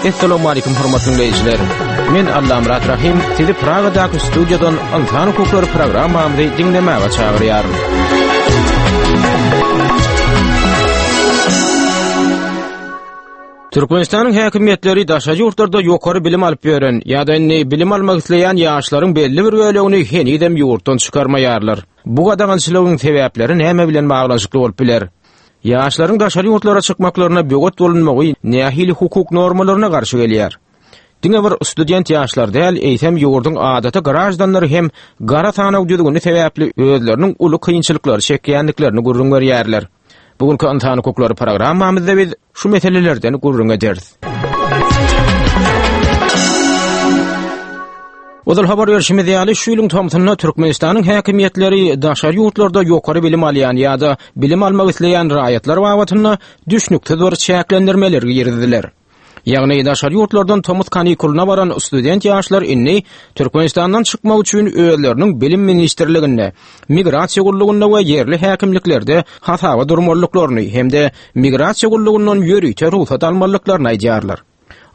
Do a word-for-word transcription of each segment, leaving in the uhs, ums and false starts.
Essalamu aleýkum hormatly dinleýjiler. Men Allamyrat Rahim sizi Pragadaky studiýadan Ynsan hukuklary programmamyzy diňlemäge çagyrýaryn. Türkmenistanyň häkimiýetleri daşary ýurtlarda ýokary bilim alyp ýören ýa-da indi bilim almak isleýän ýaşlaryň belli bir bölegini henizem ýurtdan çykarmaýarlar. Bu gadagançylygyň sebäpleri näme bilen baglanyşykly bolup biler? Ýaşlaryň daşary ýurtlara çykmaklaryna böwet bolunmagy nähili hukuk normalaryna garşy gelýär? Diňe bir student ýaşlar däl, eýsem ýurduň adaty graždanlary hem gara sanaw düzgüni sebäpli özleriniň uly kynçylyklary çekýändiklerini gürrüň berýärler. Bugünkü Ynsan hukuklary programmamyzda biz şu meselelerden gürrüň ederis. Ozal habar berşimiz ýaly, şu ýylyň tomsunda Türkmenistanyň häkimiýetleri daşary ýurtlarda ýokary bilim alýan ýa-da bilim almak isleýän raýatlar babatynda düşnüksiz bir çäklendirmeler girizdiler. Ýagny daşary ýurtlardan tomus kanikulyna baran student ýaşlar indi Türkmenistandan çykmak üçin özleriniň bilim ministrliginde, migrasiýa gullugynda we ýerli häkimliklerde hasaba durmalyklaryny hem-de migrasiýa gullugyndan ýörite rugsat almalyklaryny aýdýarlar.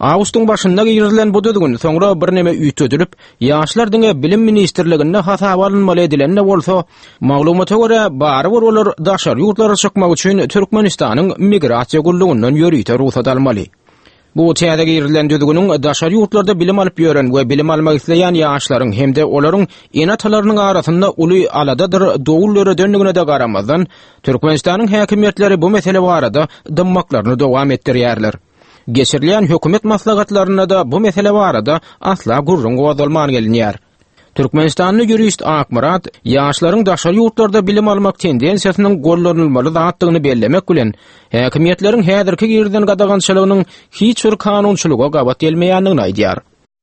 Awgustyň başynda girizilen bu düzgün soňra birneme üýtgedilip, ýaşlar diňe bilim ministrliginde hasaba alynmaly edilende bolsa, maglumata görä barybir olar daşary ýurtlara çykmak üçin Türkmenistanyň migrasiýa gullugyndan ýörite rugsat almaly. Bu täze girizilen düzgüniň daşary ýurtlarda bilim alyp ýören we bilim almak isleýän ýaşlaryň hem-de olaryň ene-atalarynyň arasynda uly aladadyr dowul döredendigine-de garamazdan, Türkmenistanyň häkimiýetleri bu mesele barada dymmaklaryny dowam etdirýärler. Geçirilýän hökümet maslahatlarynda da bu mesele barada asla gürrüň gozgalman gelinýär. Türkmenistanly ýurist Akmyrat ýaşlaryň daşary ýurtlarda bilim almak tendensiýasynyň gollanylmaly zatdygyny bellemek bilen, häkimiýetleriň häzirki girizilen gadagançylygynyň hiç bir kanunçylyga gabat gelmeýändigini aýdýar.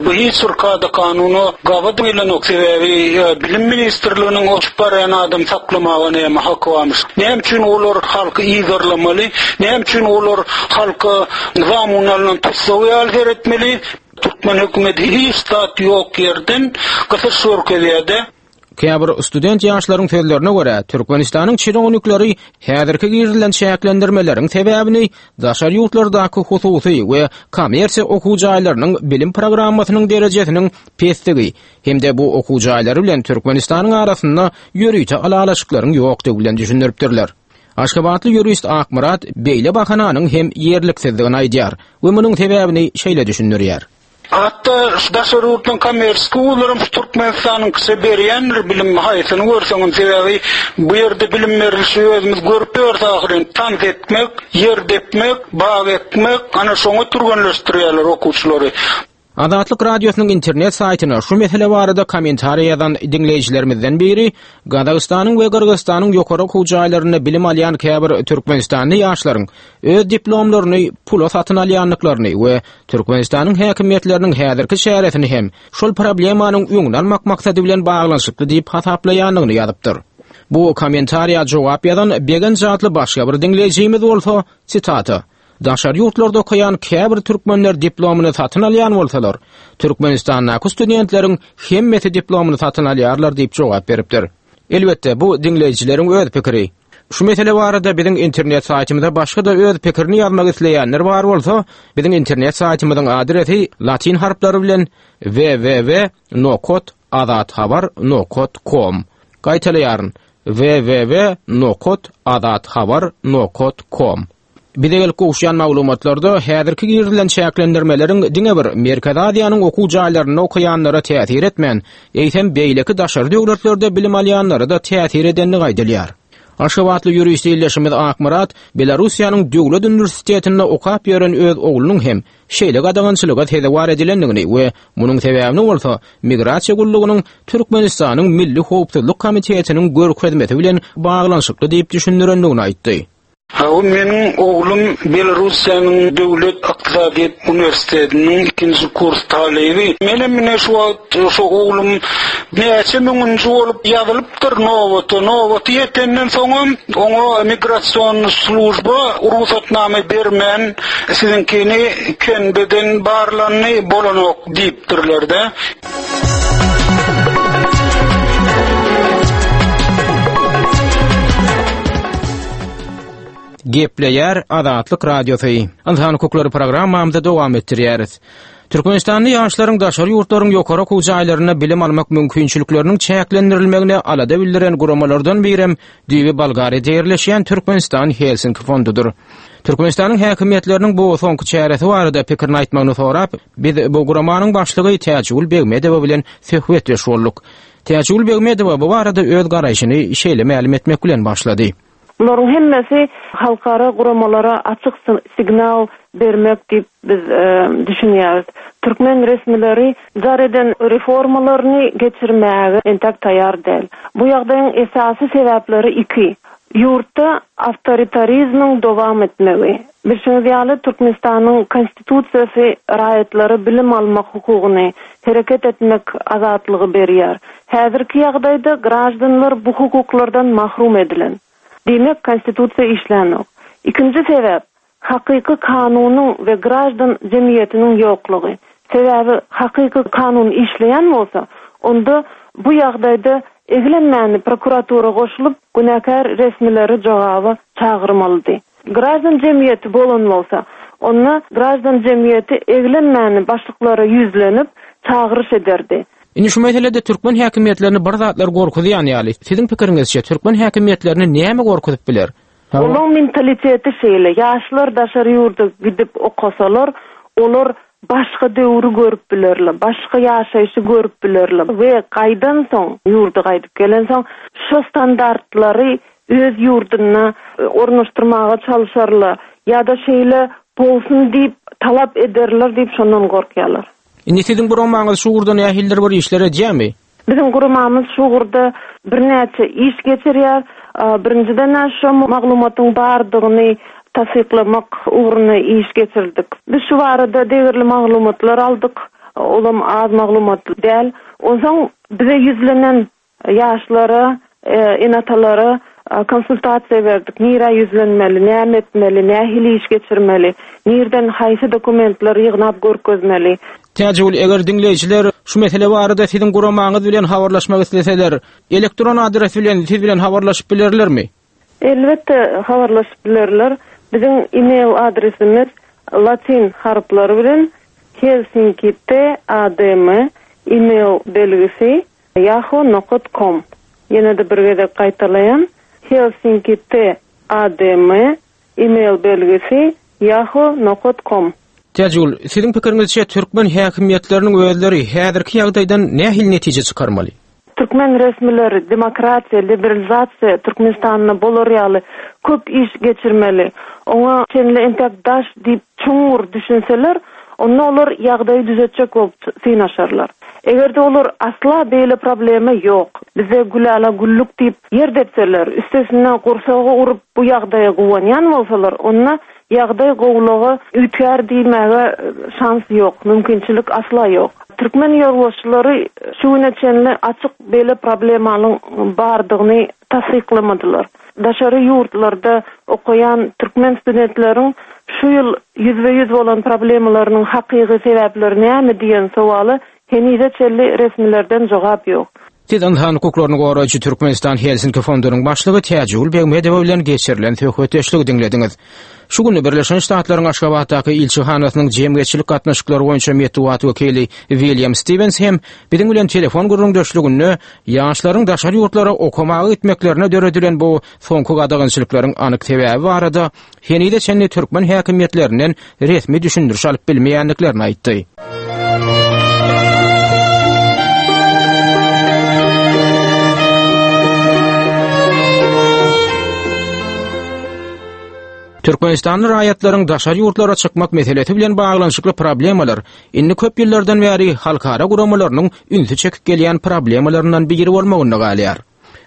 Bu hiç bir kada kanuna gabat gelenok, sebäbi e, bilim ministrliginiň oçup barýan adam saklamaga näme haky barmyş? Näme üçin olar halky yzarlamaly? Näme üçin olar halka zamun alynan tussag ýaly seretmeli? Türkmen hökümeti hiç zat ýok ýerden gysyş görkezýär-de. Käbir student ýaşlaryň sözlerine görä, Türkmenistanyň çinownikleri häzirki girizilen çäklendirmeleriň sebäbini daşary ýurtlardaky hususy we kommersiýa okuw jaýlarynyň bilim programmasynyň derejesiniň pesdigi hem-de bu okuw jaýlary bilen Türkmenistanyň arasynda ýörite ylalaşyklaryň ýokdugy bilen düşündiripdirler. Aşgabatly ýurist Akmyrat beýle bahananyň hem ýerliksizdigini aýdýar we munuň sebäbini şeýle düşündirýär. Hatda şu daşary ýurtdan kommersiýa ularam şu Türkmenistanyň kişi berýändir bilim haýsyny görseňem, sebäbi bu ýerde bilim berilişi özümiz görüp ýörüs ahyryn. Tans etmek, ýer depmek, bag ekmek, ana şoňa türgenleşdirýärler okuwçylary. Azatlyk Radiosynyň internet saýtyna şu mesele barada kommentariýa ýazan diňleýjilerimizden biri Gazagystanyň we Gyrgyzystanyň ýokary okuw jaýlarynda bilim alýan käbir Türkmenistanly ýaşlaryň öz diplomlaryny pula satyn alýandyklaryny we Türkmenistanyň häkimiýetleriniň häzirki çäresini hem şol problemanyň öňüni almak maksady bilen baglanyşykly diýip hasaplaýandygyny ýazypdyr. Bu kommentariýa jogap ýazan Begenç atly başga bir diňleýjimiz bolsa, sitata: Daşary ýurtlarda okaýan käbir türkmenler diplomyny satyn alýan bolsalar, Türkmenistandaky studentleriň hemmesi diplomyny satyn alýarlar diýip jogap beripdir. Elbetde, bu diňleýjileriň öz pikiri. Şu mesele barada biziň internet saýtymyzda başga-da öz pikirini ýazmak isleýänler bar bolsa, biziň internet saýtymyzyň adresi latin harplary bilen w w w nokot azathabar nokot com. Gaýtalaýaryn: w w w nokot azathabar nokot com. Bize gelip gowuşýan maglumatlarda häzirki girizilen çäklendirmeleriň diňe bir Merkezi Aziýanyň okuw jaýlarynda okaýanlara täsir etmän, eýsem beýleki daşary döwletlerde bilim alýanlara da täsir edendigi aýdylýar. Aşgabatly ýurist ildeşimiz Akmyrat Belarussiýanyň Döwlet uniwersitetinde okap ýören öz oglunyň hem şeýle gadagançylyga sezewar edilendigini we munuň sebäbini bolsa migrasiýa gullugynyň Türkmenistanyň Milli Howpsuzlyk komitetiniň görkezmesi bilen baglanyşykly diýip düşündirendigini aýtdy. Ha, o meniň oglum Belarussiýanyň Döwlet Ykdysadyýet uniwersitetiniň ikinji kurs talyby. Menem mine şu wagt şu oglum näçe müňünji bolup ýazylypdyr nobata. Nobaty ýetenden soňam oňa migrasion slujba rugsatnama bermän siziňkini K N B-den barlandy bolanok diýipdirler-de. Gepleýär Azatlyk Radiosy. Ynsan hukuklary programmamyzy dowam etdirýäris. Türkmenistanly ýaşlaryň daşary ýurtlaryň ýokary okuw jaýlarynda bilim almak mümkinçilikleriniň çäklendirilmegine alada bildiren guramalardan birem düýbi Bolgariýada ýerleşýän Türkmenistan Helsinki fondudyr. Türkmenistanyň häkimiýetleriniň bu soňky çäresi barada pikirini aýtmagyny sorap, biz bu guramanyň başlygy Täjigül Begmedowa bilen söhbetdeş bolduk. Täjigül Begmedowa bu barada öz garaýşyny şeýle mälim etmek bilen başlady. Bularyň hemmesi halkara guramalara açyk signal bermek diýip biz e, düşünýäris. Türkmen resmileri jar eden reformalaryny geçirmäge entek taýýar däl. Bu ýagdaýyň esasy sebäpleri iki. Ýurtda awtoritarizmiň dowam etmegi. Bilşiňiz ýaly Türkmenistanyň konstitusiýasy raýatlara bilim almak hukugyny, hereket etmek azatlygy berýär. Häzirki ýagdaýda graždanlar bu hukuklardan mahrum edilen. Diýmek konstitusiýa işlänok. Ikinji sebäp hakyky kanunyň we graždan jemgyýetiniň ýoklugy. Sebäbi hakyky kanun işleýän bolsa, onda bu ýagdaýda eglenmäni prokuratura goşulyp günäkär resmileri jogaba çagyrmalydy. Graždan jemgyýeti bolan bolsa, onda graždan jemgyýeti eglenmäni başlyklara ýüzlenip çagyryş ederdi. Indi şu meselede türkmen häkimiýetlerini bir zatlar gorkuzýan ýaly. Siziň pikiriňizçe türkmen häkimiýetlerini näme gorkuzyp biler? Onuň mentaliteti şeýle, ýaşlar daşary ýurda gidip okasalar, olar başga döwri görüp bilerler, başga ýaşaýşy görüp bilerler we gaýdan soň, ýurda gaýdyp gelen soň şu standartlary öz ýurduna ornaşdyrmaga çalışarlar ýa-da şeýle bolsun diýip talap ederler diýip şondan gorkýarlar. Indi siziň guramaňyz şu ugurda nähilidir bir işler edýärmi? Biziň guramamyz şu ugurda birnäçe iş geçirýär. Birinjiden şu maglumatyň bardygyny tassyklamak ugruna iş geçirdik. Biz şu barada degirli maglumatlar aldyk. Olam az maglumat däl. Onsoň bize ýüzlenen ýaşlara, enatalara konsultasiýa berdik. Nirä ýüzlenmeli, näme etmeli, nähili iş geçirmeli, nirden haýsy dokumentler ýygnap görkezmeli. Täjigül, eger diňleýjiler şu mesele barada siziň guramaňyz bilen habarlaşmak isleseler, elektron adres bilen siz bilen habarlaşyp bilerlermi? Elbetde habarlaşyp bilerler. Biziň e-mail adresimiz latin harplary bilen Helsinki T A D M e-mail belgisi yahoo nokta com. Ýene de bir gezek gaýtalaýan. Helsinki T A D M e-mail belgisi yahoo nokta com. Täjigül, siziň pikiriňizçe türkmen häkimiýetleriniň özleri häzirki ýagdaýdan nähili netije çykarmaly? Türkmen resmileri demokratiýa, liberalizasiýa Türkmenistanda bolar ýaly köp iş geçirmeli. Oňa çenli entek daş diýip çuňňur düşünseler, onda olar ýagdaýy düzetjek bolup synaşarlar. Eger-de olar asla beýle problema ýok, bize gülala güllük diýip ýer depseler, üstesine gursagy urup bu ýagdaýa guwanýan bolsalar, onda ýagdaý gowlugy üýtgär diýmäge şans ýok, mümkinçilik asla ýok. Türkmen ýolbaşçylary şu güne çenli açyk beýle problemanyň bardygyny tassyklamadylar. Daşary ýurtlarda okaýan türkmen studentleriň şu ýyl ýüzbe-ýüz bolan problemalarynyň hakyky sebäpleri näme diýen sowaly henize çenli resmilerden jogap ýok. Siz ynsan hukuklaryny goraýjy Türkmenistan Helsinki fondunyň başlygy Täjigül Begmedowa bilen geçirilen söhbetdeşligi diňlediňiz. Şu gün Birleşen Ştatlaryň Aşgabatdaky ilçihanasynyň jemgyýetçilik gatnaşyklary boýunça metbugat wekili William Stevens hem biziň bilen telefon gürrüňdeşliginde ýaşlaryň daşary ýurtlara okamaga gitmeklerine döredilen bu soňky gadagançylyklaryň anyk sebäbi barada henize çenli türkmen häkimiýetlerinden resmi düşündiriş alyp bilmeýändiklerini aýtdy. Türkmenistanly raýatlaryň daşary ýurtlara çykmak meselesi bilen baglanyşykly problemalar indi köp ýyllardan bäri halkara guramalarynyň ünsi çekip gelýän problemalaryndan biri bolmagynda galýar.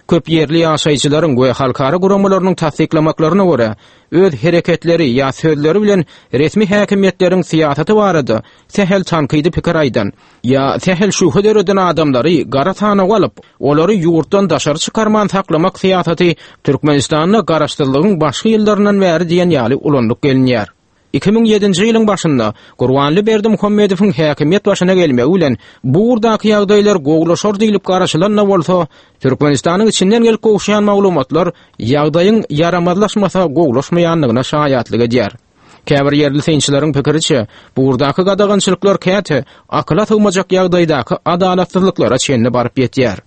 Köp ýerli ýaşaýjylaryň we halkara guramalarynyň tassyklamaklaryna görä, öz hereketleri ýa sözleri bilen resmi häkimiýetleriň syýasaty barada sähel tankydy pikir aýdan ýa sähel şübhe döreden adamlary gara sanawa alyp, olary ýurtdan daşary çykarman saklamak syýasaty Türkmenistanda garaşsyzlygyň başky ýyllaryndan bäri diýen ýaly ulanylyp gelinýär. iki müň ýedinji ýylyň başynda Gurbanly Berdimuhamedowyň häkimiýet başyna gelmegi bilen bu ugurdaky ýagdaýlar gowulaşar diýlip garaşylan-da bolsa, Türkmenistanyň içinden gelip gowuşýan maglumatlar ýagdaýyň ýaramazlaşmasa gowulaşmaýandygyna şaýatlyk edýär. Käbir ýerli synçylaryň pikiriçe, bu ugurdaky gadagançylyklar käte akyla sygmajak ýagdaýdaky adalatsyzlyklara çenli baryp ýetýär.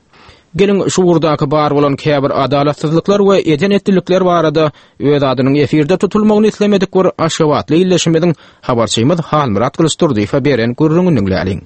Geliň şu ugurdaky bar bolan käbir adalatsyzlyklar we eden etdilikler barada öz adynyň efirde tutulmagyny islemedik bir Aşgabatly illeşimiziň habarçymyz Halmyrat Gylyçdurdyýewe beren gürrüňini diňläliň.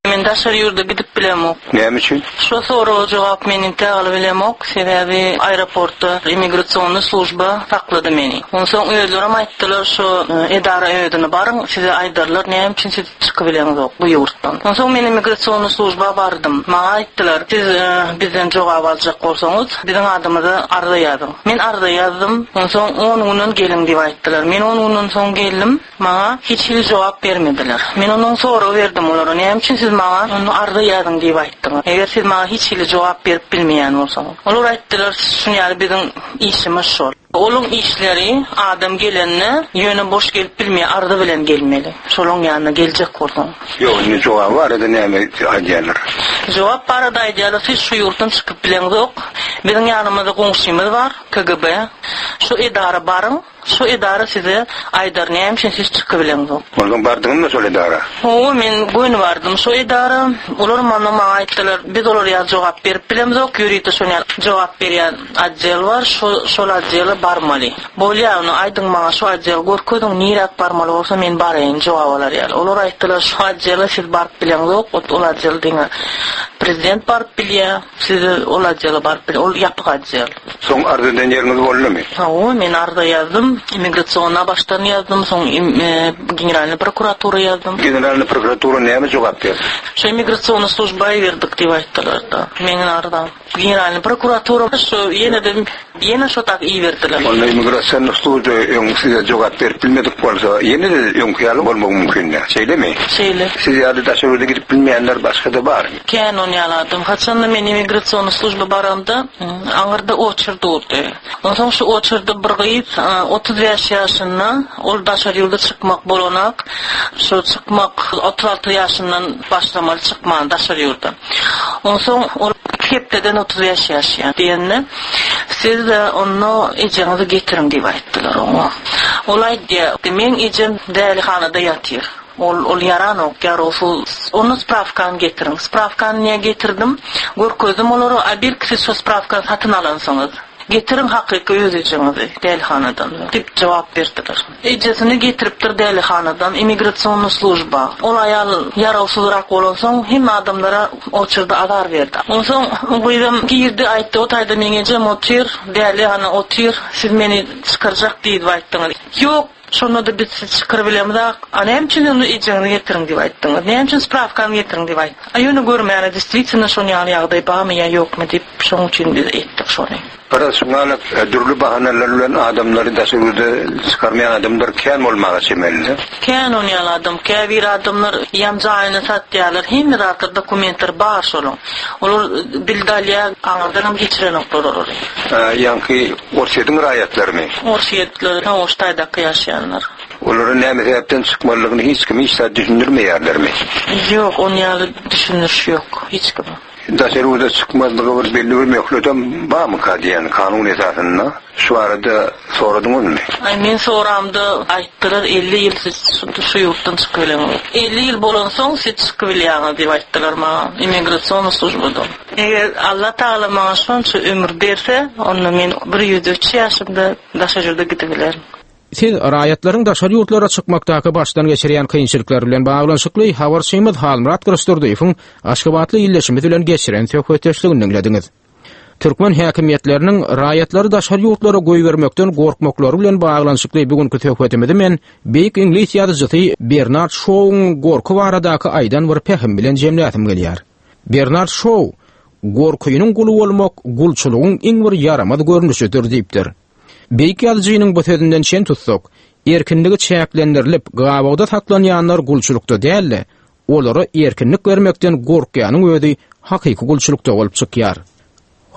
Men daşary ýurda gidip bilemok. Näme üçin? Şu soraga jogap men intäk alyp bilemok. Sebäbi aeroportda immigrasionny služba saklady meni. Onsoň özlerem aýtdylar, şu edara özüne baryň, size aýdarlar, näme üçin siz çykyp bileňizok bu ýurtdan. Onsoň men immigrasionny služba bardym. Maňa aýtdylar, siz, e, bizden jogap aljak bolsaňyz, biziň adymyza arza ýazyň. Men arza ýazdym. Onsoň on günden geliň diýip aýtdylar. Men on günden soň geldim. Maňa hiç hili jogap bermediler. Men ondan sorag berdim olara. Näme üçin siz maňa onu arza ýazyň diýip aýtdyňyz? Eger siz maňa hiç hili jogap berip bilmeýän bolsaňyz. Olar aýtdylar, şuny ýaly biziň işimiz şol. Onuň işleri adam gelende ýöne boş gelip bilmeýär, arza bilen gelmeli. Şoluň ýanyna geljek bolsaň. Ýok, indi jogap barada näme aýdýarlar? Jogap barada aýdýarlar, siz şu ýurtdan çykyp bileňzok. Biziň ýanymyzda goňşymyz bar, K G B. Şu edara baryň, şu edara size aýdar, näme üçin siz çykyp bileňzok. Ondan bardyňmy şol edara? Hawa, men göni bardym şu edara. Olar maňa maňa aýtdylar, biz olara ýa jogap berip bilemzok, ýörite şony jogap berýän otdel bar, şo, şol otdele barmaly. Bolýar, ony aýdyň maňa şu otdel görkeziň, niräk barmaly bolsa men baraýyn, jogap alar ýaly. Olar aýtdylar, şu otdele siz baryp bileňzok, ol otdel diňe prezident baryp bilýär, siz ol otdele baryp bil, ol ýapyk otdel. Soň arz eden ýeriňiz boldumy? Hawa, men arza ýazdym, immigrasiona başdan ýazdym, soň im-, e, generalny prokuratura ýazdym. Generalny prokuratura näme jogap berdi? Şu immigrasiona služba berdik diýip aýtdylar da. Meniň arzam. Generalny prokuratura şu ýene de ýene şu tak iberdiler. Onda immigrasiona služba öň size jogap berip bilmedik bolsa, ýene de öňki ýaly bolmagy mümkin däl. Şeýlemi? Şeýle. Siz ýaly daşary ýurda gidip bilmeýänler başga da bar. Kän on ýaly adam. Haçanda men immigrasiona služba baramda, aňyrda oçur durdy. Onsoň şu oçurda bir gyz, a, otuz bäş ýaşynda, ol daşary ýurda çykmak bolanak, şu çykmak otuz alty ýaşyndan başlamaly çykman daşary ýurda. Onsoň ol iki hepdeden otuz bäş ýaşýar diýende, siz de onda ejeňizi getiriň diýip aýtdylar oňa. Ol aýtdy, men ejem dälihanada ýatyr. Ol, ol ýaranok, ýarowsuz. Onu spravkany getiriň. Spravkany niye getirdim? Görkezdim olara, a belki siz şu spravkany satyn alansyňyz. Getiriň hakyky öz ejeňizi dälihanadan diýip jogap berdiler. Ejesini getiripdir dälihanadan immigrasionny služba. Ol aýal ýarawsyzrak bolansoň hem adamlara oçurda azar berdi. Onsoň gyzym girdi, aýtdy, o taýda meň ejem otyr, dälihana otyr, siz meni çykarjak diýip aýtdyňyz. Ýok, şonda da biz sizi çykyr bilemizok. A näme üçin onu ejeňizi getiriň diýip aýtdyňyz? Näme üçin spravkany getiriň diýip aýtdyňyz? A ýöne görmäne действительно şon ýaly ýagdaý barmy ýa ýokmy diýip şoň üçin biz etdik şony. Biraz şuňa dürli bahanalar bilen adamlary daşary ýurda çykarmaýan adamlar kän bolmaga çemeli. Kän on ýaly adam, käbir adamlar ýam jaýyny satýarlar, hemme zatlar dokumentler bar şonuň. Olar bildalýar, aňyrdan hem geçirenoklar olary. Ýaňky Orsýetiň raýatlarymy? Orsýetler, ha, Oştaýdaky ýaşaýanlar. Olara näme sebäpden çykmalydygyny hiç kim hiç zat düşündirmeýärlermi? Ýok, on ýaly düşündiriş ýok hiç kime. Daşary ýurda çykmazlygy bir belli bir möhletem barmyka diýen kanun esasynda şu arada soradyňyzmy? Ay, men soramda aýtdylar elli ýyl siz şu, şu ýurtdan çykyp bileňiz. Elli ýyl bolansoň siz çykyp bilýäňiz diýip aýtdylar maňa immigrasion službada. Eger Allah Taala maňa şonça ömür berse, onda men bir ýüz üç ýaşymda daşary ýurda gidip bilerim. Siz raýatlaryň daşary ýurtlara çykmakdaky başdan geçirýän kynçylyklar bilen baglanyşykly habarçymyz Halmyrat Gylyçdurdyýewiň Aşgabatly illeşimiz bilen geçiren söhbetdeşligini diňlediňiz. Türkmen häkimiýetleriniň raýatlary daşary ýurtlara goýbermekden gorkmaklary bilen baglanyşykly bugünkü söhbetimizi men Beýik iňlis ýazyjysy Bernard Şouň gorky baradaky aýdan bir pähim bilen jemläsim gelýär. Bernard Şou, gorkynyň guly bolmak gulçulygyň iň bir ýaramaz görnüşidir diýipdir. Beýik ýazyjynyň bu sözünden çen tutsak, erkinligi çäklendirilip, gabawda saklanýanlar gulçulykda däl-de, olara erkinlik bermekden gorkýanyň özi hakyky gulçulykda bolup çykýar.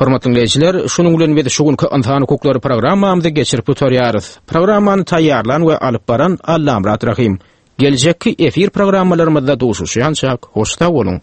Hormatly dinleýjiler, şunuň bilen biz şu günki Ynsan hukuklary programmamyzy geçirip gutarýarys. Programmany taýýarlan we alyp baran Allamyrat Rahim. Geljekki efir programmalarymyzda duşuşýançak, hoş sag boluň.